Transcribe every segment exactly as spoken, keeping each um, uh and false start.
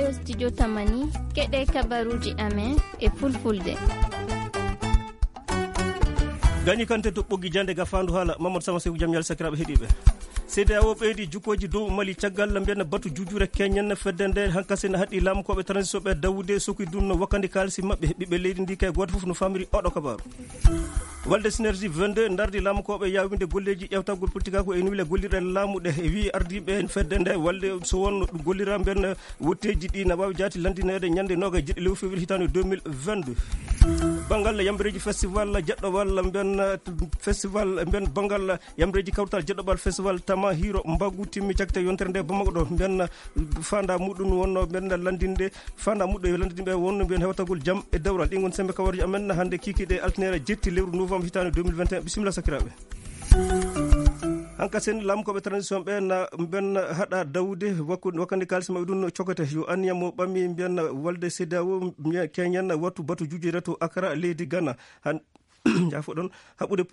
Studio Tamani, keɗe kabaruuji amen e fulfulde. Gani kante to ɓoggi jande ga fandu hala Mamadou Sama Seydou Jam Yalla sakiraɓe heɗiɓe. Seydi Awo ɓeydi jukkoji dow Mali caggal mbiyen batu jujure keñen fedde nde hankasina haɗi lamkoɓe transition ɓe dawude soki dunno wakkandi kalisi maɓɓe ɓiɓɓe leydi ndi kay goto fof no famiri oɗo kabaru. Walde Synergie vingt-deux dardi lamkoɓe yawinde golleji ƴewtagol politika ko e nuwile gollirɗe laamu ɗe e wi ardiɓe fedde nde walde so wonno ɗum gollira mbiyen wotteji ɗi na wawi jaati landineede ñande noga jeɗɗi lewru février hitande deux mille vingt-deux. Banngal yambareeji festival jeɗɗo walla mbiyen festival mbiyen banngal yambareeji kawtal jeɗɗo bal festival tama hiiro mbaggu timmi cagte yontere nde bamako ɗo mbiyen fanda muɗum wonno mbiyen landinde fanda muɗɗo e landinde ɓe wonno mbiyen hewtagol jam e dewral ɗin woni sembe kawarji amen hannde kikiɗe altinere jetti lewru novembre hitande deux mille vingt et un. Bisimilla sakiraɓe. Hanka sen lamkoɓe transition ɓe na ben haɗa dawude wakku- wakkande kalisi maɓɓe ɗum no cokete yo anniya mo ɓammi mbiyan walde sedawo keñen wattu batu jujere to akara leydi gana han jafo ɗon haɓude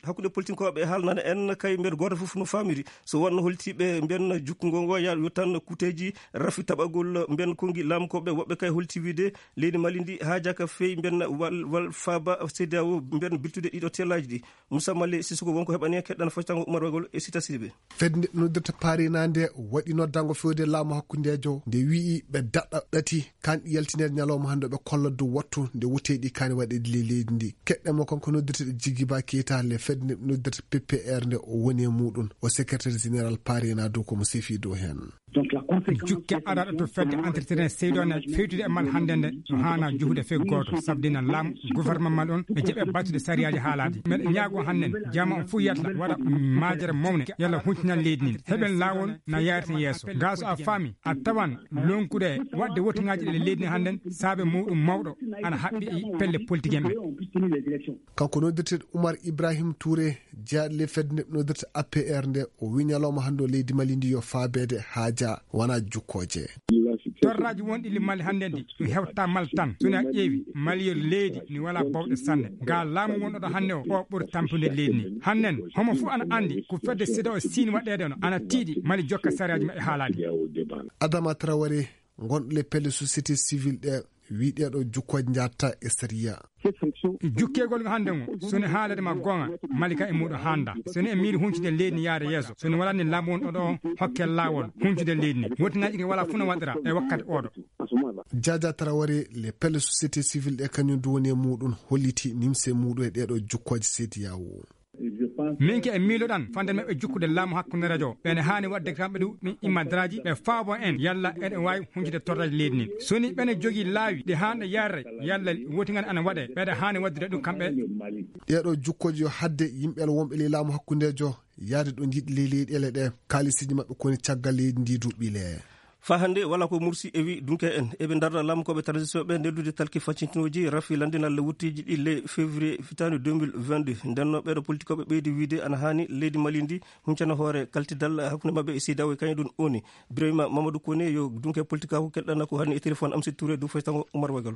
hakkude politinkoɓe haalnana en kay mbeɗa goto fof no famiri so wonno holtiɓe mbiyan jukkugo ngo ya yo tan kuteji rafi taɓagol mbiyan kongi lamkoɓe woɓɓe kay holti wiide leydi mali ndi ha jaka feyi mbiyan wal wal faaba sedawo mbiyan biltude ɗiɗo tellaji ɗi. Moussa Mali Sissoko wonko heɓani en keɗɗan foccango Umar Wagol e Sita Sidibé. Fedde nde noddirta Paris na nde waɗi noddango fewde laamu hakkundejo nde wi'i ɓe daɗɗa ɗati kanɗi yaltinede ñalawma hannde ɓe kolla dow wattu nde woteɗi kani waɗeɗi le leydi ndi. Keɗɗe mo kanko noddirta ɗe Jigiba Keita le fedde nde noddirta P P R nde o woni e muɗum o secrétaire général Paris na dow komo sefi dow hen. Jukke araɗo to fedde entretien seydo ne fewtude e mal hannde nde no hana juhude fewgo goto sabdina laamu gouvernement mal on e jeeɓe battude sariyaji haalade meɗe ñaago hannen jama on fuu yalla waɗa majere mawne yalla huntinal leydi ndi heɓen lawol na yarata yeeso ga so a faami a tawan lonkude wadde wotingaji ɗe leydi ndi hannden saabe muɗum mawɗo ana haɓɓi pelle politique en ɓe. Kanko noddirteɗo Oumar Ibrahim Touré jaaɗle fedde nde noddirta A P R nde o wi ñalawma hannde o leydi mali ndi yo faabede haaja wona jukkoje. Torraji wonɗi li mali hannde ndi mi hewta mal tan soni a ƴeewi mali yo leydi ni wala bawɗe sanne ga laamu wonɗoɗo hannde o o ɓuri tampude leydi ni hannen homo fof ana anndi ko fedde sida o siini waɗede no ana tiiɗi mali jokka sariyaji maɓɓe haalade. Adama Traoré gonɗo le pelle société civile ɗe wi ɗeɗo jukkoje jatta e sariya. Jukkegol ngo hannde ngo soni haalade ma gonga malika e muɗo handa soni e miiri huncude leydi ni yaade yeeso soni walani laamu won oɗo hokke laawol huncude leydi ni wotingaji ɗi wala funa waɗira e wakkati oɗo. Jaja Traoré le pelle société civile ɗe kañum du woni e muɗum holliti nimse muɗum e ɗeɗo jukkoje sediyawo. Min ke e miiloɗan fande maɓɓe jukkude laamu hakkunde radio ɓene haani waɗde kamɓe ɗum ɗum immadraji ɓe faabo en yalla eɗen waawi huncude torraji leydi ndin soni ɓene jogii laawi ɗi haanɗe yarre yalla wotingani ana waɗe ɓeɗe haani waɗdude ɗum kamɓe. Ɗeɗo jukkoji yo hadde yimɓe wonɓe ley laamu hakkundejo yaade ɗo jiɗi ley leyɗele ɗe kalisiji maɓɓe koni caggal leydi ndi duɓɓile. Fa hannde wala ko mursi e wi dunke en eɓe darda lamkoɓe transition ɓe neldude talki faccintinoji rafi landinal wutteji ɗi le février fitande deux mille vingt-deux ndenno ɓeɗo politikoɓe ɓeydi wiide ana hani leydi mali ndi huncana hoore kaltidal hakkunde maɓɓe e sidawo e kañum ɗum oni birayma mamadou kone yo dunke politika ko kelɗana ko hani e téléphone amsi touré du faytango oumar wagal.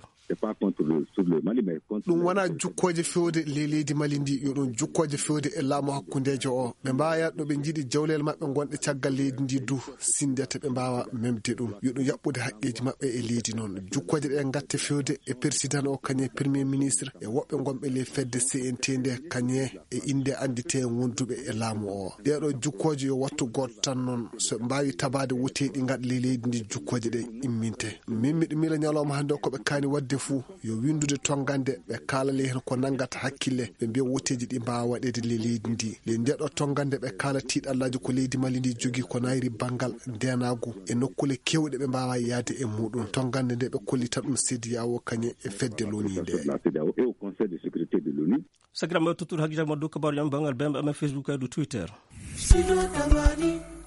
Ɗum wona jukkoje fewde ley leydi mali ndi yo ɗum jukkoje fewde e laamu hakkundejo o ɓe mbawa ɗo ɓe jiiɗi jawlel maɓɓe gonɗe caggal leydi ndi du sindete ɓe mbawa memde ɗum yo ɗum yaɓɓude haqqeji maɓɓe e leydi noon jukkoje ɗe gatte fewde e président o kañum e premier ministre e woɓɓe gonɓe ley fedde C N T nde kañum e inde andite wonduɓe e laamu o ɗeɗo jukkoje yo wattu goto tan noon so ɓe mbawi tabade woteɗi gaɗa ley leydi ndi jukkoje ɗe imminte min miɗo miila ñalawma hannde o koɓe kaani waɗde fuu yo winndude tonngande ɓe kaalale heen ko nanngata hakkille ɓe mbiya wotteeji ɗi mbaawa waɗeede ley leydi ndi ley ndeɗo tonngande ɓe kaala tiiɗallaaji ko leydi mali ndi jogii ko nayri banngal ndeenaagu e nokkuule keewɗe ɓe mbaawa yahde e muuɗum tonngande nde ɓe kollitan ɗum sediyawo kañe e fedde loniinde. Sakiraɓe tottude hakkille makko dow kabaaruji amen banngal bemɓe amen Facebook e dow Twitter.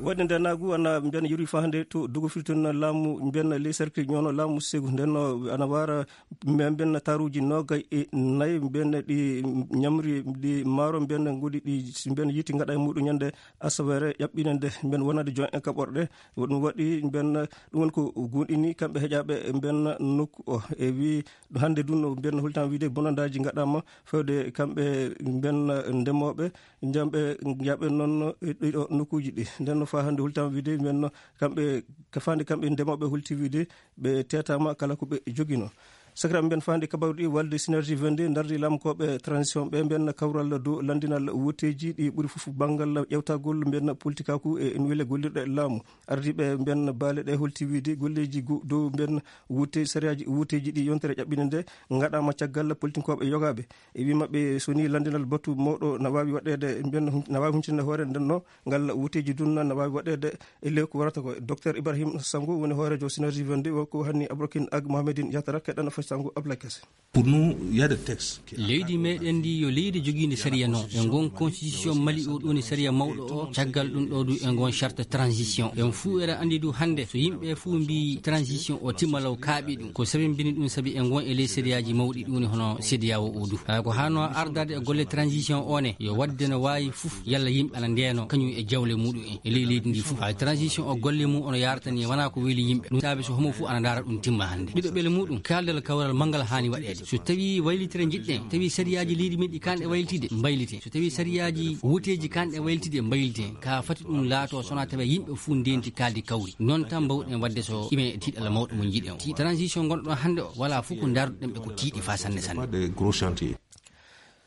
Waɗde nde naagu ana mbiyan yori fahande to dogo firtino laamu mbiyan ley cercle ñoono laamu segu ndenno ana wara mbiyan taruji nogay e nayi mbiyan ɗi ñamri ɗi maaro mbiyan ngodi ɗi mbiyan yiiti ngaɗa e muɗum ñande asawere ƴaɓɓinande mbiyan wonande jon en kaɓorɗe ɗum waɗi mbiyan ɗum woni ko gunɗini kamɓe heƴaɓe mbiyan nokku o e wi hannde ɗum no mbiyanno holtama wiide bonandaji gaɗama fewde kamɓe mbiyanna ndemoɓe jamɓe jaɓe noon ɗiɗo nokkuji ɗi nden Faa hannde hultaama wiide mbiyen kamɓe, ka faande kamɓe ndemooɓe hulti wiide ɓe teetaama kala ko ɓe joginoo. Sakiraaɓe mbiyen faa hannde kabaaru ɗi walde Synergie vingt-deux ndardi laamkooɓe transition ɓe mbiyen kawral dow lanndinal wotteeji ɗi ɓuri fof banngal ƴewtagol mbiyen politikaaku e ene wele gollirɗe laamu. Ardiiɓe mbiyen baale ɗe holti wiide golleeji gu-, dow mbiyen wutte-, sariyaaji wotteeji ɗi yontere ƴaɓɓinde nde ngaɗaama caggal politikooɓe yogaaɓe. E wii maɓɓe so ni lanndinal batu mawɗo na waawi waɗeede mbiyen hun-, na waawi huncinde hoore nden no ngal wuteeji dunna na waawi waɗeede e lewku warata ko. Docteur Ibrahim Sango woni hooreejo Synergie vingt-deux, o ko hanni Abrokin Ag Mohamedin Yatara keɗɗana fay Sango Ablaye Kase. Pour nous, il y a des textes qui Leydi meɗen ndi yo leydi jogiindi sariya no. E ngon constitution Mali o ɗoni sariya mawɗo o, caggal ɗum ɗo du e ngon charte transition. En fuu eɗen anndi du hannde so yimɓe fuu mbi transition o timma law kaaɓi ɗum. Ko sabi mbini ɗum sabi e ngon e ley sariyaji mawɗi ɗum woni hono C D A O o du. Hay ko hano ardade e golle transition o ne yo wadde no waawi fof yalla yimɓe ana ndeno kañum e jawle muɗum en e ley leydi ndi fof. Hay transition o golle mum ono yaratani wona ko weli yimɓe. Ɗum saabi so homo fof ana ndaara ɗum timma hannde. Ɗiɗo ɓele muɗum kaldal kawral manngal haani waɗeede. So tawi waylitere jiɗɗen, tawi sariyaji leydi men ɗi kanɗe waylitide, mbaylite. So tawi sariyaji woteji kanɗe waylitide, mbaylite. Ka fati ɗum laato sona tawi yimɓe fof ndenti kaldi kawri. Noon tan mbawɗen waɗde so ime tiiɗalla mawɗo mo jiɗen o. Ti transition gonɗo ɗon hannde o, wala fof ko ndaruɗen ɓe ko tiiɗi fa sanne sanne. Pas de gros chantiers.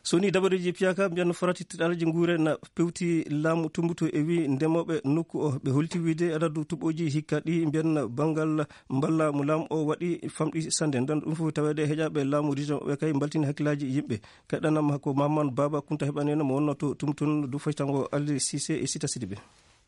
So ni dabareeji piyaka mbiyan farati tiɗalji nguure na pewti laamu tumbuto e wi ndemooɓe nokku o. Ɓe holti wiide adadu tuɓoji hikka ɗi mbiyan banngal mballa mo laamu o waɗi famɗi sannde. Nden ɗum fof taweede heƴaɓe laamu région ɓe kay mbaltini hakkillaji yimɓe. Keɗɗanam ko Maman Baba Kunta heɓaneno mo wonno to tumtun du faytango Aldi Sise e Sita Sidibe.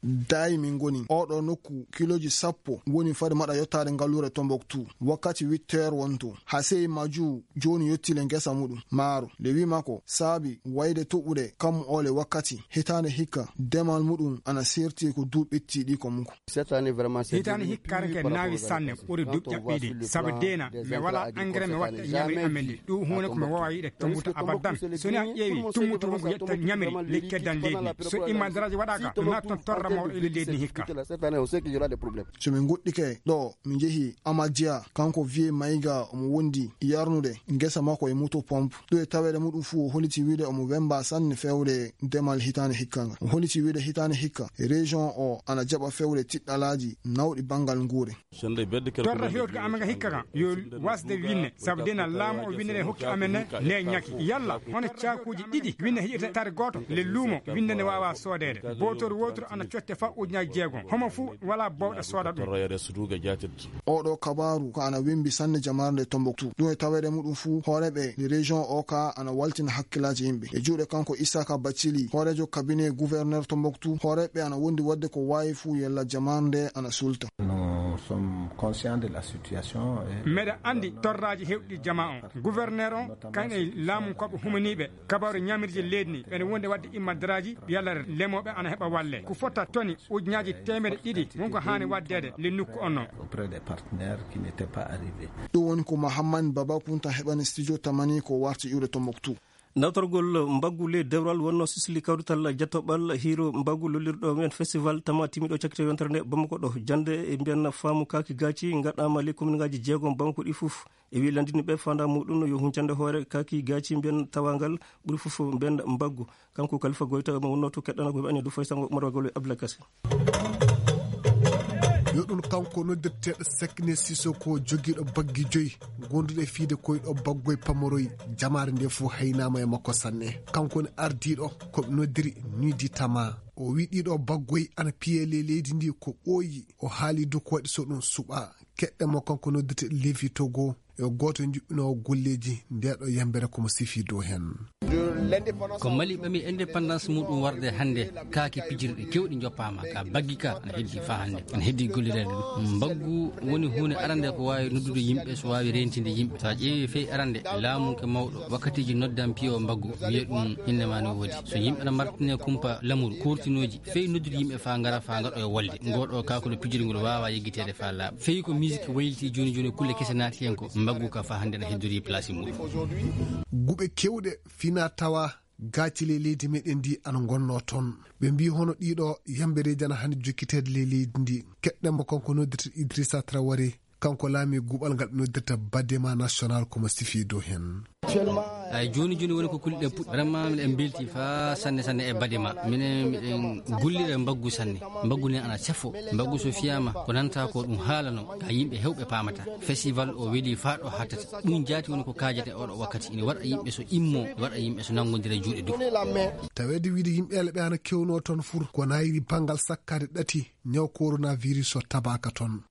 Daay min ngoni oɗo nokku kiloji sappo woni fade maɗa yottaade ngalluure Tombouctou. Wakkati huit heures wonto. Hasey Maju jooni yottile ngesa muɗum maaro. Nde wi makko saabi wayde toɓude kammu ole wakkati hitaande hikka demal muɗum ana serti ko duuɓi ɓetti ɗi ko muko. Cette année vraiment, c'est Hitaande hikkaare ke naawi sanne ɓuri duuɓi ƴaɓɓiiɗi. Sabu deena mi wala engrais mi watta ñamri amen ɗi. Ɗum huunde ko mi wowa yiɗe tombuto abadan. So ni a ƴeewi tummutu won ko yetta ñamri ley keddan leydi ndi. So imma daraaji waɗaaka, ɗum naata toon torra mawɗo e leydi ndi hikka. Cette année, on sait qu'il y aura des problèmes. So min ngoɗɗike ɗo, min njehi Amadia, kanko Vieux Maïga, omo wondi yarnude ngesa makko e moto pompe. Ɗo e taweede muɗum fuu, o holiti wiide omo wemba sanne fewde demal hitaande hikka ngal. O holiti wiide hitaande hikka, région o ana jaɓa fewde tiɗɗalaaji nawɗi banngal nguure. Torra hewtuka amen ga hikka kan, yo wasde winne, sabu dena laamu o winnere hokki amen ne, ne ñaki. Yalla, hono caakuuji ɗiɗi winne heƴirta tare gooto, le luumo, winne ne waawa soodeede. Bootoru wooturu ana cotte fa ujunnaaji jeegom. Homo fuu wala bowɗe sooda ɗum. Torra yare su duga jatit. Oɗo kabaaru ko ana wembi sanne jamaare nde Tombouctou. Ɗum e taweede muɗum fuu, hooreeɓe nde région o ka ana waltina hakkillaaji yimɓe. E juuɗe kanko Isaka Bacili, hooreejo cabinet gouverneur Tombouctou, hooreeɓe ana wondi waɗde ko waawi fuu yalla jamaare nde ana sulta. Nous sommes conscients de la situation et Meɗa anndi torraaji hewɗi jama on. Gouverneur on, kan e laamu ko ɓe humaniiɓe, kabaaru ñamirje leydi ni, ɓene wonde waɗde immadaraaji, yalla lemooɓe ana heɓa walle. Ko fota toni ujunnaaji teemedde ɗiɗi, won ko haani waɗdeede le nokku on non. Auprès des partenaires qui n'étaient pas arrivés. Ɗum woni ko Mahamman Baba Kunta heɓani studio Tamani ko warti iwde Tombouctou. Nawtorgol mbaggu ley dewral wonno sisli kawrital jattoɓal hiiro mbaggu lollirɗo men festival tama timiɗo cakkito yontere nde Bamako ɗo. Jannde e mbiyan faamu kaaki gaaci ngaɗaama ley kominngaaji jeegom Bamako ɗi fof. E wi lanndini ɓe faanda muɗum yo huncande hoore kaaki gaaci mbiyan tawangal ɓuri fof mbiyan mbaggu. Kanko Kalifa Goyta mo wonno to keɗɗana ko ɓe ane du fay sango Umar Wagolo e Abdoulaye Kassé. Yo ɗum kanko noddirteeɗo Sekne Sissoko jogiiɗo baggi joyi gonduɗe fiide koyɗo baggoy pamoroy. Jamaare nde fof haynaama e makko sanne. Kanko ne ardiiɗo ko ɓe noddiri Nudi Tama. O wi ɗiɗo baggoy ana piye ley leydi ndi ko ɓooyi. O haali du ko waɗi so ɗum suɓa. Keɗɗe mo kanko noddirteeɗo Levi Togo. Yo gooto njuɓɓinoowo golleeji ndeeɗo yambere ko mo sifi dow heen. Ko Mali ɓami indépendance muɗum warde hannde, kaake pijirɗe kewɗe njoppaama, ka baggi ka ana heddi faa hannde, ana heddi gollireede ɗum. Mbaggu woni huunde arande ko waawi noddude yimɓe, so waawi reentinde yimɓe. So a ƴeewi fey arande, laamu ke mawɗo, wakkatiiji noddan piyo mbaggu, wiye ɗum innde ma no woodi. So yimɓe na martine kumpa lamuru, kurtinooji, fey noddude yimɓe faa ngara, faa ngaɗoya wolde. Ngoo ɗoo kaakol pijirngol waawaa yeggiteede faa laaɓa. Fey ko musique wayliti jooni jooni, kulle kese naati heen ko mbaggu ka faa hannde na heddori place muɗum. Guɓe kewɗe fina tawa gaaci ley leydi meɗen ndi ana ngonno toon. Ɓe mbi hono ɗiɗo yambereeji ana hannde jokkiteede ley leydi ndi. Keɗɗen mo kanko noddirta Idrissa Traoré. Kanko laami guɓal ngal ɓe noddirta Badema National ko mo sifi dow heen. Ay, jooni jooni woni ko kulɗe puɗɗi. Vraiment, miɗen mbelti fa sanne sanne e baɗe ma. Minen miɗen gollira e mbaggu sanne. Mbaggu ne ana sefo. Mbaggu so fiyaama, ko nanta ko ɗum haala non. Ka yimɓe hewɓe paamata. Festival o weli fa ɗo hattata. Ɗum jaati woni ko kaajete oɗo wakkati. Ina waɗa yimɓe so immo, waɗa yimɓe so nanngondira juuɗe dow. Taweede wiide yimɓe ele ɓe ana kewnoo toon fur. Ko nayri banngal sakkaade ɗati ñaw coronavirus o tabaaka toon.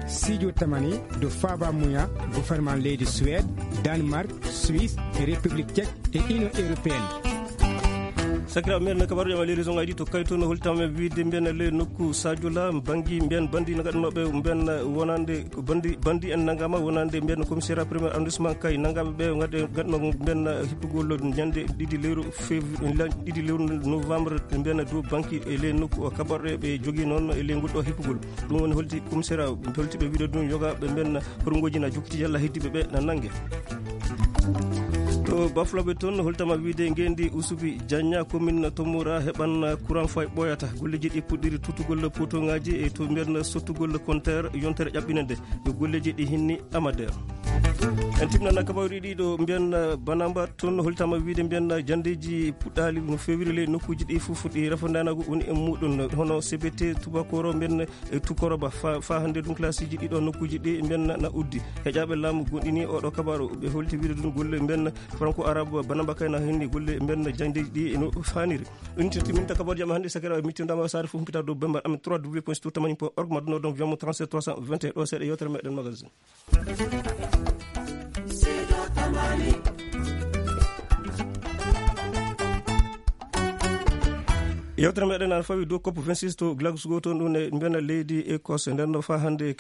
Sijo tamani do faba muya gouvernement leydi Suède, Danemark, Suisse, République Tchèque et Union Européenne. Sakira men kabaru jama leydi zongaji to kayto no holtama wiide mbiyen le nokku Sadio La bangi mbiyen bandi no gadnoɓe mbiyen wonande bandi bandi en nangama wonande mbiyen commissariat premier arrondissement kay nangaɓe ɓe gadno mbiyen hippugol ñande ɗiɗi lewru février ɗiɗi lewru novembre mbiyen dow banki e le nokku o kabarɗe ɓe jogi noon e le ngol ɗo hippugol. Ɗum woni holti commissariat holti ɓe wiide ɗum yoga ɓe mbenna horungoji na jokkiti yalla heddiɓe ɓe na nange. To bafloɓe toon holtama wiide ngendi usubi janya commune tomora heɓan courant fay ɓoyata golleji ɗi puɗɗiri tuttugol potoŋaji e to mbiyen sottugol compteur yontere ƴaɓɓinande. Yo golleji ɗi hinni amader. En timnana kabaruɗi ɗiɗo mbiyen banamba toon holtama wiide mbiyen jandeji puɗɗali no fewiri ley nokkuji ɗi fof ɗi refondanago woni e muɗum hono cbt tubakoro mbiyen e tukoroba fa hannde ɗum classe ji ɗiɗo nokkuji ɗi mbiyen na uddi. Heƴaɓe laamu gonɗini oɗo kabaru ɓe holti wiide ɗum golle mbiyen franco arabe banamba kayna henni golle mbiyen jandeji ɗi no faniri. Ɗum tirti min ta kabaru jam hannde sakira mittindama sare fof mpita dow bembar amen trois w point sto tamani point org madduno donc viamo trente-sept trois cent vingt et un ɗo seeɗa yewtere meɗen magasin. Yewtere meɗen ana fawi dow cop vingt-six to Glasgow toon ɗum e mbiyen leydi Écosse nden no fa hannde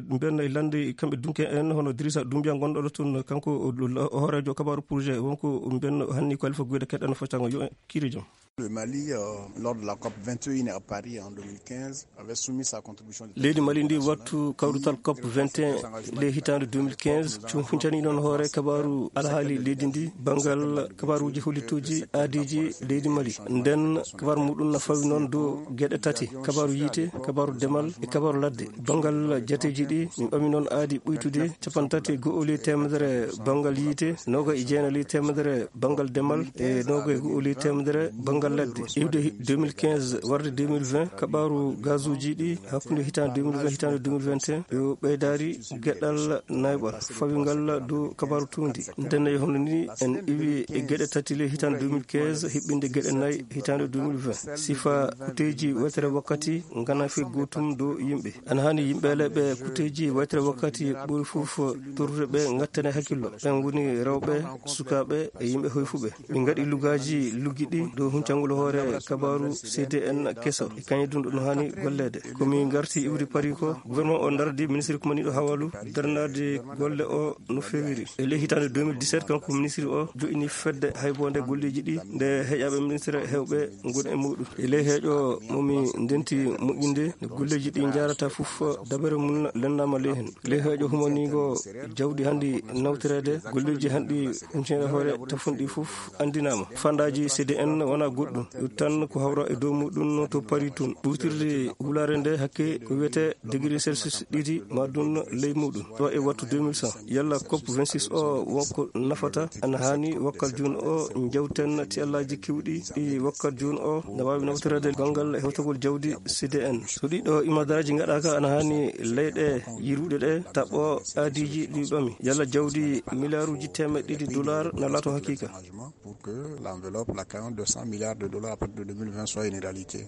mbiyen lande kamɓe dunke en hono Drissa Doumbia gonɗo ɗo toon kanko hoorejo kabaru projet wonko mbiyen hanni ko alifa guyde keɗɗano foccango yo kiri joom. Le Mali, euh, lors de la cop vingt et un à Paris en deux mille quinze, avait soumis sa contribution de leydi Mali ndi wattu kawrutal cop vingt et un le hitaande deux mille quinze cum huncani noon hoore kabaru alhaali leydi ndi banngal kabaruuji hollitooji aadiiji leydi Mali. Nden kabaru muɗum na fawi noon dow geɗe tati, kabaru yiite, kabaru demal e kabaru ladde. Banngal jateeji ɗi min ɓami noon aadi ɓuytude capanɗe tati e go'o ley teemedere banngal yiite, noga e jeenayi ley teemedere banngal demal e noga e go'o ley teemedere banngal ladde. Iwde deux mille quinze warde deux mille vingt kabaru gazuji ɗi hakkunde hitaande deux mille vingt hitaande deux mille vingt et un yo ɓeydaari geɗal nayɓal fawi ngal dow kabaru tuundi. Ndenne e hono ni en iwi e geɗe tati ley hitaande deux mille quinze hiɓɓinde geɗe nayi hitaande deux mille vingt. Sifa kuteeji wetere wakkati ngana fe gootum dow yimɓe. Ana hani yimɓe leɓe kuteeji waytere wakkati ɓuri fof torrude ɓe ngattane hakkillo. Ɓen woni rewɓe, sukaaɓe e yimɓe hoyfuɓe. Min ngaɗi lugaaji luggiɗi dow huncangol hoore kabaru C D N keso e kañe ɗum ɗum hani golleede. Ko min ngarti iwri Paris ko gouvernement o dardi ministre kumaniɗo hawalu darnade golle o no fewiri. E ley hitaande deux mille dix-sept kanko ministre o jo'ini fedde haybonde golleji ɗi nde heƴaɓe ministre hewɓe ngon e muɗum. E ley heeƴo mo mi ndenti moƴƴinde no golleji ɗi njarata fof dabere mum lennama ley hen. Ley heeƴo humanigo jawdi handi nawtirede golleji handi huncere hoore tafunɗi fof andinama. Fandaji C D N wona goɗɗum. Ɗum tan ko hawra e dow muɗum to Paris tun. Ɓurtirde wulare nde hakke ko wiyete degré Celsius ɗiɗi ma ɗum ley muɗum. Ɗo e wattu deux mille cent. Yalla cop vingt-six o wonko nafata ana hani wakkal jun o jawten ti allaji kewɗi ɗi wakkal jun o na wawi nawtorede banngal hewtagol jawdi C D N. So ɗiɗo imadaraji gaɗaka ana hani leyɗe yiruɗe ɗe taɓo aadiji ɗi ɓami. Yalla jawdi milliarduji temeɗɗe ɗiɗi dollar na laato hakika. Pour que l'enveloppe, la cagnotte de cent milliards de dollars à partir de deux mille vingt soit une réalité.